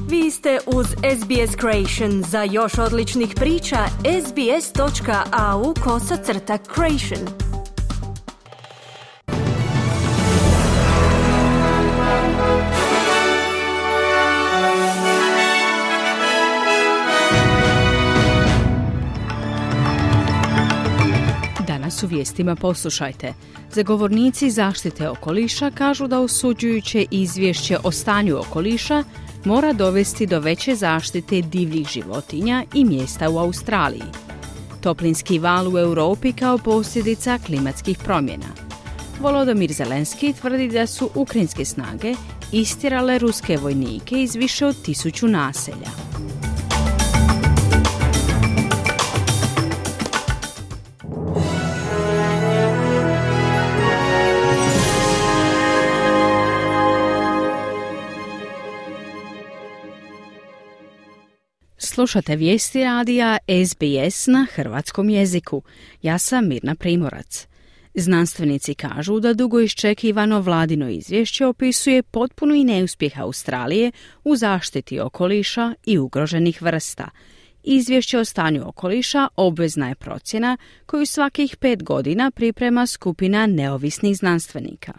Vi ste uz SBS Creation. Za još odličnih priča, sbs.au/creation. Danas u vijestima poslušajte. Zagovornici zaštite okoliša kažu da osuđujuće izvješće o stanju okoliša mora dovesti do veće zaštite divljih životinja i mjesta u Australiji. Toplinski val u Europi kao posljedica klimatskih promjena. Volodymyr Zelenski tvrdi da su ukrajinske snage istjerale ruske vojnike iz više od 1000 naselja. Slušate vijesti radija SBS na hrvatskom jeziku. Ja sam Mirna Primorac. Znanstvenici kažu da dugo iščekivano vladino izvješće opisuje potpuni neuspjeh Australije u zaštiti okoliša i ugroženih vrsta. Izvješće o stanju okoliša obvezna je procjena koju svakih 5 godina priprema skupina neovisnih znanstvenika.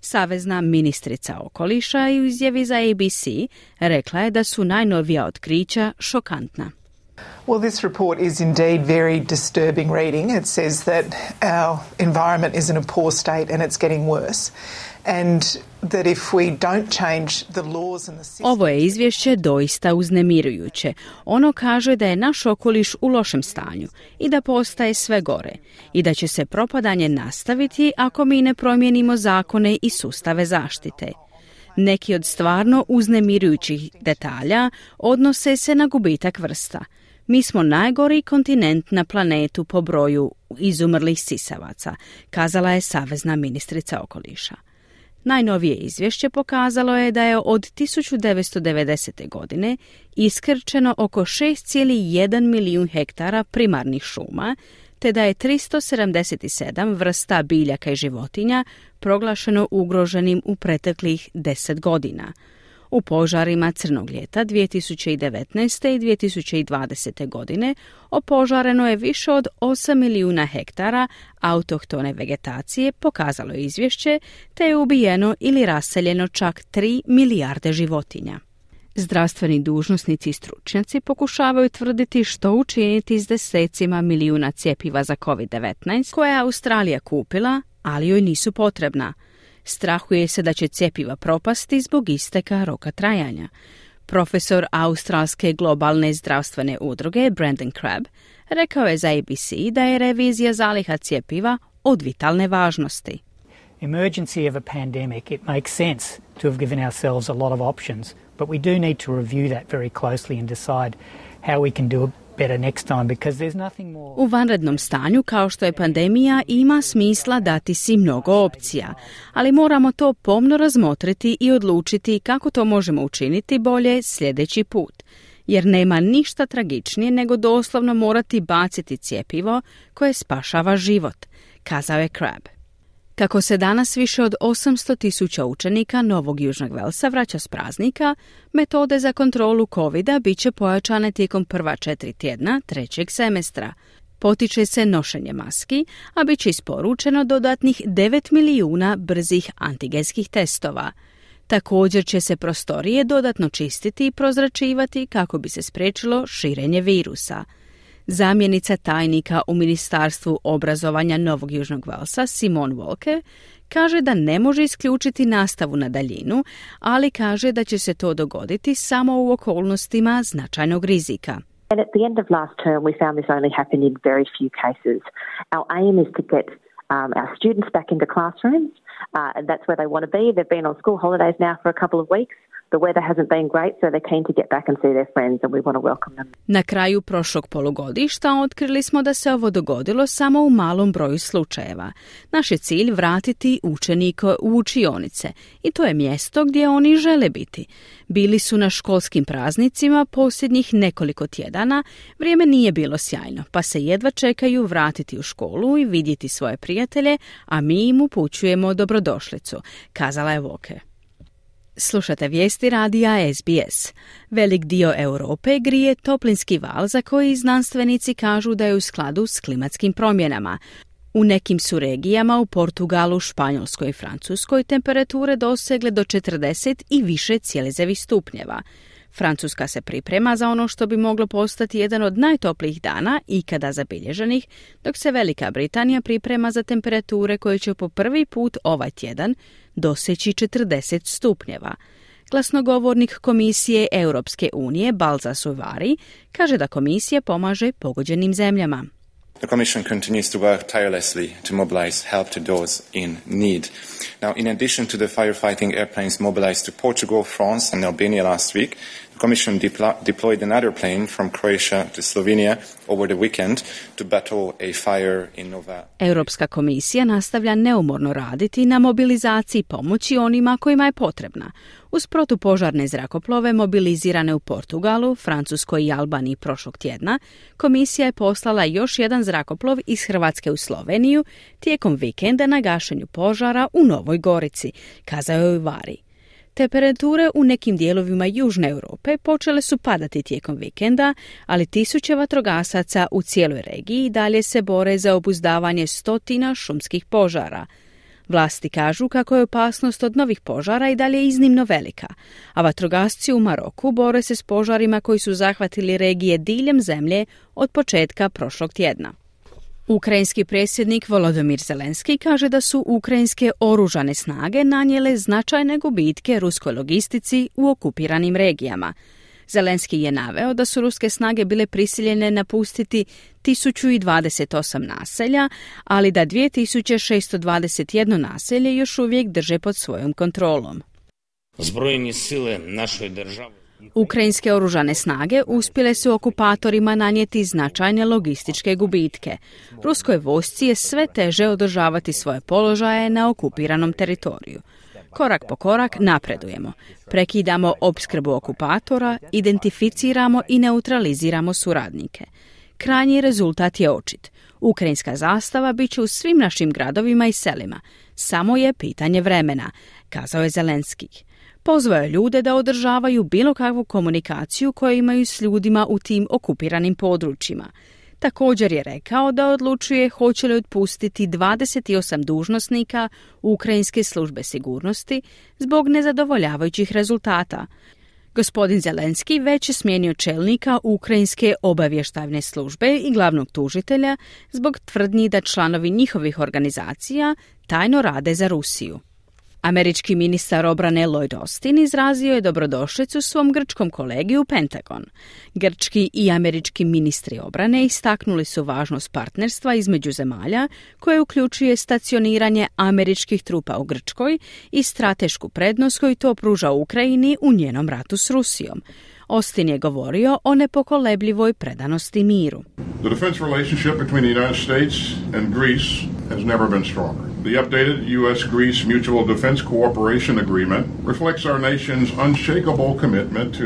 Savezna ministrica okoliša u izjavi za ABC rekla je da su najnovija otkrića šokantna. Well, this report is indeed very disturbing reading. It says that our environment is in a poor state and it's getting worse. And that if we don't change the laws and the systems... Ovo je izvješće doista uznemirujuće. Ono kaže da je naš okoliš u lošem stanju i da postaje sve gore i da će se propadanje nastaviti ako mi ne promijenimo zakone i sustave zaštite. Neki od stvarno uznemirujućih detalja odnose se na gubitak vrsta. Mi smo najgori kontinent na planetu po broju izumrlih sisavaca, kazala je savezna ministrica okoliša. Najnovije izvješće pokazalo je da je od 1990. godine iskrčeno oko 6,1 milijun hektara primarnih šuma, te da je 377 vrsta biljaka i životinja proglašeno ugroženim u preteklih 10 godina. U požarima Crnog ljeta 2019. i 2020. godine opožareno je više od 8 milijuna hektara autohtone vegetacije, pokazalo je izvješće, te je ubijeno ili raseljeno čak 3 milijarde životinja. Zdravstveni dužnosnici i stručnjaci pokušavaju tvrditi što učiniti s desecima milijuna cjepiva za COVID-19 koje je Australija kupila, ali joj nisu potrebna. Strahuje se da će cjepiva propasti zbog isteka roka trajanja. Profesor australske globalne zdravstvene udruge Brandon Crabb rekao je za ABC da je revizija zaliha cjepiva od vitalne važnosti. Emergency of a pandemic, it makes sense to have given ourselves a lot of options, but we do need to review that very closely and decide how we can do better next time, because there's nothing more. U vanrednom stanju, kao što je pandemija, ima smisla dati si mnogo opcija, ali moramo to pomno razmotriti i odlučiti kako to možemo učiniti bolje sljedeći put, jer nema ništa tragičnije nego doslovno morati baciti cjepivo koje spašava život, kazao je Crabb. Kako se danas više od 800,000 učenika Novog Južnog Velsa vraća s praznika, metode za kontrolu COVID-a bit će pojačane tijekom prva 4 tjedna trećeg semestra. Potiče se nošenje maski, a bit će isporučeno dodatnih 9 milijuna brzih antigenskih testova. Također će se prostorije dodatno čistiti i prozračivati kako bi se spriječilo širenje virusa. Zamjenica tajnika u Ministarstvu obrazovanja Novog Južnog Velsa, Simone Walker, kaže da ne može isključiti nastavu na daljinu, ali kaže da će se to dogoditi samo u okolnostima značajnog rizika. And at the end of last term, we found this only happened in very few cases. Our aim is to get our students back into classrooms, and that's where they want to be. They've been on school holidays now for a couple of weeks. The weather hasn't been great, so they're keen to get back and see their friends, and we want to welcome them. Na kraju prošlog polugodišta otkrili smo da se ovo dogodilo samo u malom broju slučajeva. Naš je cilj vratiti učenike u učionice i to je mjesto gdje oni žele biti. Bili su na školskim praznicima posljednjih nekoliko tjedana, vrijeme nije bilo sjajno, pa se jedva čekaju vratiti u školu i vidjeti svoje prijatelje, a mi im upućujemo dobrodošlicu, kazala je Walker. Slušate vijesti radija SBS. Velik dio Europe grije toplinski val za koji znanstvenici kažu da je u skladu s klimatskim promjenama. U nekim su regijama u Portugalu, Španjolskoj i Francuskoj temperature dosegle do 40 i više cijelezevih stupnjeva. Francuska se priprema za ono što bi moglo postati jedan od najtoplijih dana ikada zabilježenih, dok se Velika Britanija priprema za temperature koje će po prvi put ovaj tjedan doseći 40 stupnjeva. Glasnogovornik Komisije Europske unije Balza Suvari kaže da komisija pomaže pogođenim zemljama. The Commission continues to work tirelessly to mobilize help to those in need. Now, in addition to the firefighting airplanes mobilized to Portugal, France and Albania last week, the Commission deployed another plane from Croatia to Slovenia over the weekend to battle a fire in Nova. Europska komisija nastavlja neumorno raditi na mobilizaciji pomoći onima kojima je potrebna. Uz protupožarne zrakoplove mobilizirane u Portugalu, Francuskoj i Albaniji prošlog tjedna, komisija je poslala još jedan zrakoplov iz Hrvatske u Sloveniju tijekom vikenda na gašenju požara u Novoj Gorici, kazao je Vari. Temperature u nekim dijelovima Južne Europe počele su padati tijekom vikenda, ali tisuće vatrogasaca u cijeloj regiji dalje se bore za obuzdavanje stotina šumskih požara. Vlasti kažu kako je opasnost od novih požara i dalje iznimno velika, a vatrogasci u Maroku bore se s požarima koji su zahvatili regije diljem zemlje od početka prošlog tjedna. Ukrajinski predsjednik Volodymyr Zelenski kaže da su ukrajinske oružane snage nanijele značajne gubitke ruskoj logistici u okupiranim regijama. Zelenski je naveo da su ruske snage bile prisiljene napustiti 1028 naselja, ali da 2621 naselje još uvijek drže pod svojom kontrolom. Збройні сили нашої держави. Ukrajinske oružane snage uspjele su okupatorima nanijeti značajne logističke gubitke. Ruskoj vojsci je sve teže održavati svoje položaje na okupiranom teritoriju. Korak po korak napredujemo. Prekidamo opskrbu okupatora, identificiramo i neutraliziramo suradnike. Krajnji rezultat je očit. Ukrajinska zastava bit će u svim našim gradovima i selima. Samo je pitanje vremena, kazao je Zelenski. Pozvao je ljude da održavaju bilo kakvu komunikaciju koju imaju s ljudima u tim okupiranim područjima. Također je rekao da odlučuje hoće li otpustiti 28 dužnosnika Ukrajinske službe sigurnosti zbog nezadovoljavajućih rezultata. Gospodin Zelenski već je smijenio čelnika Ukrajinske obavještajne službe i glavnog tužitelja zbog tvrdnji da članovi njihovih organizacija tajno rade za Rusiju. Američki ministar obrane Lloyd Austin izrazio je dobrodošlicu svom grčkom kolegi u Pentagon. Grčki i američki ministri obrane istaknuli su važnost partnerstva između zemalja koje uključuje stacioniranje američkih trupa u Grčkoj i stratešku prednost koju to pruža Ukrajini u njenom ratu s Rusijom. Austin je govorio o nepokolebljivoj predanosti miru. The defense relationship between the United States and Greece has never been stronger. The updated U.S.-Greece Mutual Defense Cooperation Agreement reflects our nation's unshakable commitment to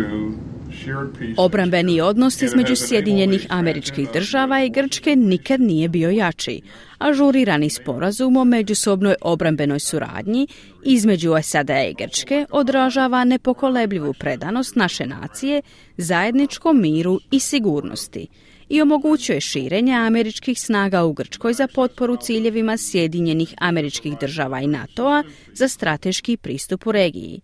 shared peace. Obrambeni odnos između Sjedinjenih Američkih Država i Grčke nikad nije bio jači. Ažurirani sporazum o međusobnoj obrambenoj suradnji između SAD-a i Grčke odražava nepokolebljivu predanost naše nacije zajedničkom miru i sigurnosti i omogućuje širenje američkih snaga u Grčkoj za potporu ciljevima Sjedinjenih Američkih Država i NATO-a za strateški pristup u regiji.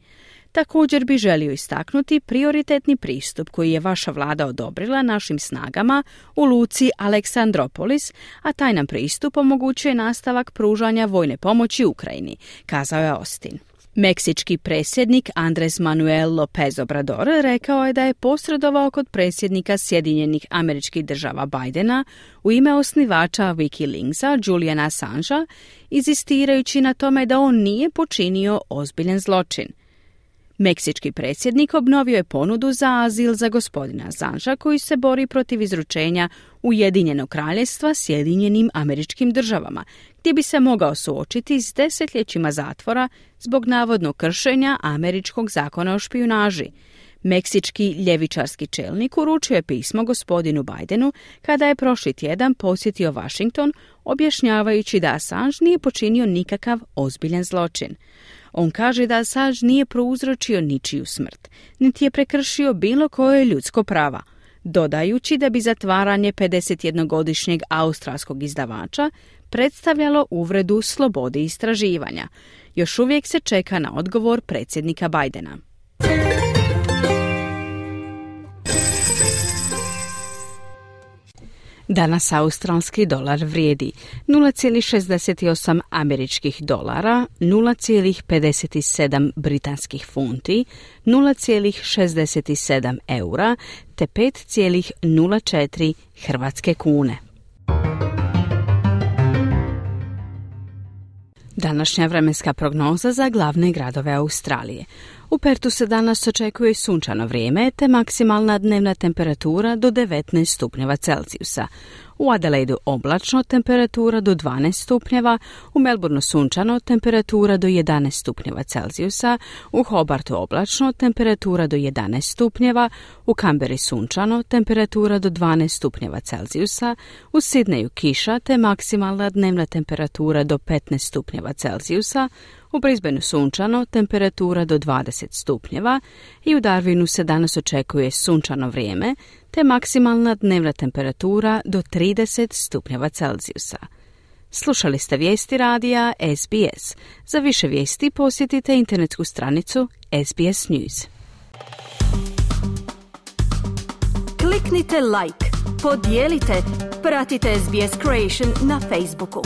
Također bi želio istaknuti prioritetni pristup koji je vaša vlada odobrila našim snagama u luci Aleksandropolis, a taj nam pristup omogućuje nastavak pružanja vojne pomoći Ukrajini, kazao je Austin. Meksički predsjednik Andrés Manuel López Obrador rekao je da je posredovao kod predsjednika Sjedinjenih Američkih Država Bidena u ime osnivača Wikileaksa Juliana Assangea, inzistirajući na tome da on nije počinio ozbiljan zločin. Meksički predsjednik obnovio je ponudu za azil za gospodina Assangea koji se bori protiv izručenja Ujedinjenog kraljevstva Sjedinjenim Američkim Državama, gdje bi se mogao suočiti s desetljećima zatvora zbog navodnog kršenja američkog zakona o špijunaži. Meksički ljevičarski čelnik uručio je pismo gospodinu Bidenu kada je prošli tjedan posjetio Washington, objašnjavajući da Assange nije počinio nikakav ozbiljan zločin. On kaže da Assange nije prouzročio ničiju smrt, niti je prekršio bilo koje ljudsko prava, dodajući da bi zatvaranje 51-godišnjeg australskog izdavača predstavljalo uvredu slobodi istraživanja. Još uvijek se čeka na odgovor predsjednika Bidena. Danas australski dolar vrijedi 0,68 američkih dolara, 0,57 britanskih funti, 0,67 eura te 5,04 hrvatske kune. Današnja vremenska prognoza za glavne gradove Australije. U Pertu se danas očekuje sunčano vrijeme te maksimalna dnevna temperatura do 19 stupnjeva Celzijusa. U Adelaidu oblačno, temperatura do 12 stupnjeva, u Melbourneu sunčano, temperatura do 11 stupnjeva Celzijusa, u Hobartu oblačno, temperatura do 11 stupnjeva, u Canberri sunčano, temperatura do 12 stupnjeva Celzijusa, u Sidneju kiša te maksimalna dnevna temperatura do 15 stupnjeva Celzijusa, u Brisbaneu sunčano, temperatura do 20 stupnjeva i u Darwinu se danas očekuje sunčano vrijeme te maksimalna dnevna temperatura do 30 stupnjeva Celzijusa. Slušali ste vijesti radija SBS. Za više vijesti posjetite internetsku stranicu SBS News. Kliknite like, podijelite, pratite SBS Creation na Facebooku.